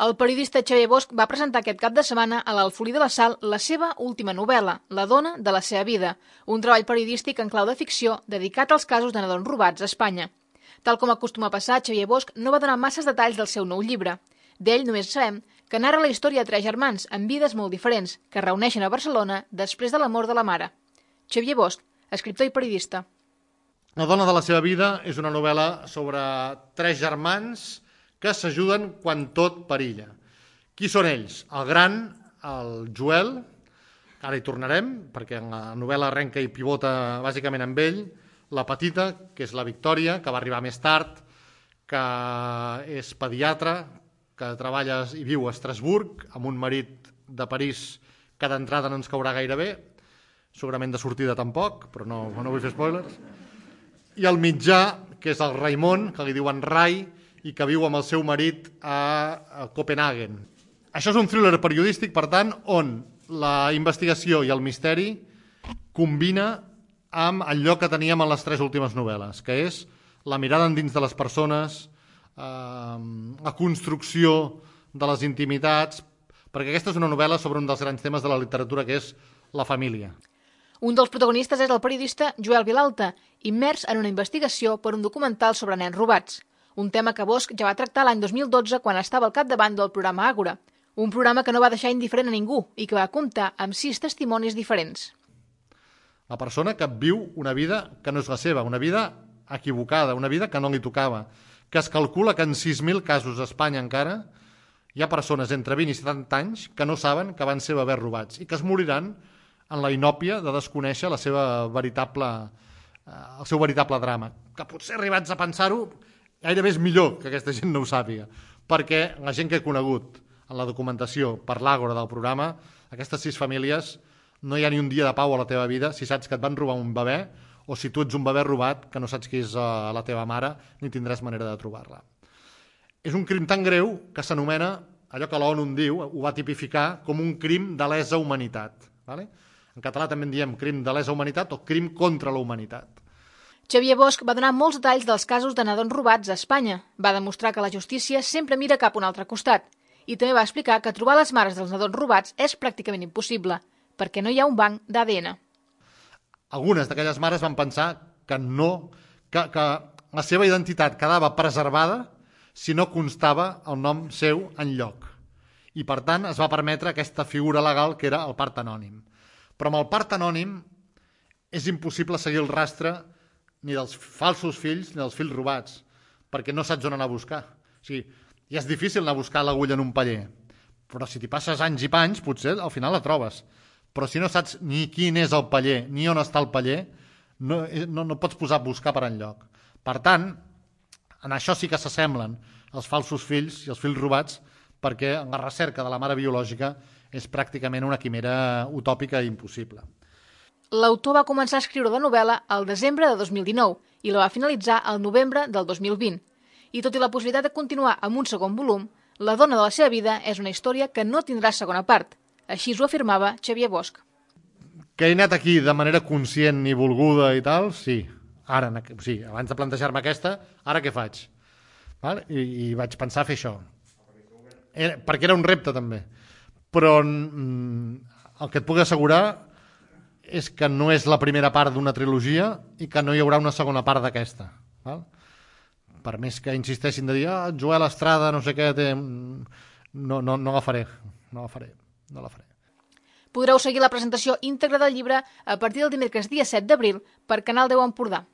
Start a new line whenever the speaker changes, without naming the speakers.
El periodista Xavier Bosch va presentar aquest cap de setmana a l'Alfolí de la Sal la seva última novel·la, La dona de la seva vida, un treball periodístic en clau de ficció dedicat als casos de nadons robats a Espanya. Tal com acostuma a passar, Xavier Bosch no va donar masses detalls del seu nou llibre. D'ell només sabem que narra la història de 3 germans amb vides molt diferents que es reuneixen a Barcelona després de la mort de la mare. Xavier Bosch, escriptor i periodista.
La dona de la seva vida és una novel·la sobre 3 germans que s'ajuden quan tot perilla. Qui són ells? El gran, el Joel, que ara hi tornarem, perquè en la novel·la arrenca i pivota bàsicament amb ell, la petita, que és la Victòria, que va arribar més tard, que és pediatra, que treballa i viu a Estrasburg, amb un marit de París que d'entrada no ens caurà gaire bé, segurament de sortida tampoc, però no vull fer spoilers. I el mitjà, que és el Raimon, que li diuen Rai, i que viu amb el seu marit a Copenhagen. Això és un thriller periodístic, per tant, on la investigació i el misteri combina amb el lloc que teníem en les 3 últimes novel·les, que és la mirada endins de les persones, la construcció de les intimitats, perquè aquesta és una novel·la sobre un dels grans temes de la literatura, que és la família.
Un dels protagonistes és el periodista Joel Vilalta, immers en una investigació per un documental sobre nens robats. Un tema que Bosch ja va tractar l'any 2012 quan estava al capdavant del programa Àgora, un programa que no va deixar indiferent a ningú i que va comptar amb 6 testimonis diferents.
La persona que viu una vida que no és la seva, una vida equivocada, una vida que no li tocava, que es calcula que en 6.000 casos a Espanya encara hi ha persones entre 20 i 70 anys que no saben que van ser bebès robats i que es moriran en la inòpia de desconèixer el seu veritable drama. Que potser arribats a pensar-ho gairebé és millor que aquesta gent no ho sàpiga, perquè la gent que he conegut en la documentació per l'Àgora del programa, aquestes 6 famílies, no hi ha ni un dia de pau a la teva vida si saps que et van robar un bebè o si tu ets un bebè robat que no saps qui és la teva mare ni tindràs manera de trobar-la. És un crim tan greu que s'anomena, allò que l'ONU en diu, ho va tipificar com un crim de lesa humanitat. Vale? En català també en diem crim de lesa humanitat o crim contra la humanitat.
Xavier Bosch va donar molts detalls dels casos de nadons robats a Espanya. Va demostrar que la justícia sempre mira cap a un altre costat. I també va explicar que trobar les mares dels nadons robats és pràcticament impossible, perquè no hi ha un banc d'ADN.
Algunes d'aquelles mares van pensar que la seva identitat quedava preservada si no constava el nom seu enlloc. I, per tant, es va permetre aquesta figura legal que era el part anònim. Però amb el part anònim és impossible seguir el rastre ni dels falsos fills ni dels fills robats, perquè no saps on anar a buscar. O sigui, ja és difícil anar a buscar l'agulla en un paller, però si t'hi passes anys i panys, potser al final la trobes. Però si no saps ni quin és el paller, ni on està el paller, no pots posar a buscar per enlloc. Per tant, en això sí que s'assemblen els falsos fills i els fills robats, perquè la recerca de la mare biològica és pràcticament una quimera utòpica i impossible.
L'autor va començar a escriure la novel·la al desembre de 2019 i la va finalitzar al novembre del 2020. I tot i la possibilitat de continuar amb un segon volum, La dona de la seva vida és una història que no tindrà segona part. Així ho afirmava Xavier Bosch.
Que he anat aquí de manera conscient i volguda i tal, sí. Ara, sí, abans de plantejar-me aquesta, ara què faig? I vaig pensar fer això. Perquè era un repte també. Però el que et puc assegurar és que no és la primera part d'una trilogia i que no hi haurà una segona part d'aquesta. Per més que insisteixin de dir Joel Estrada, no sé què, no la faré. No la faré.
Podreu seguir la presentació íntegra del llibre a partir del dimecres dia 7 d'abril per Canal 10 Empordà.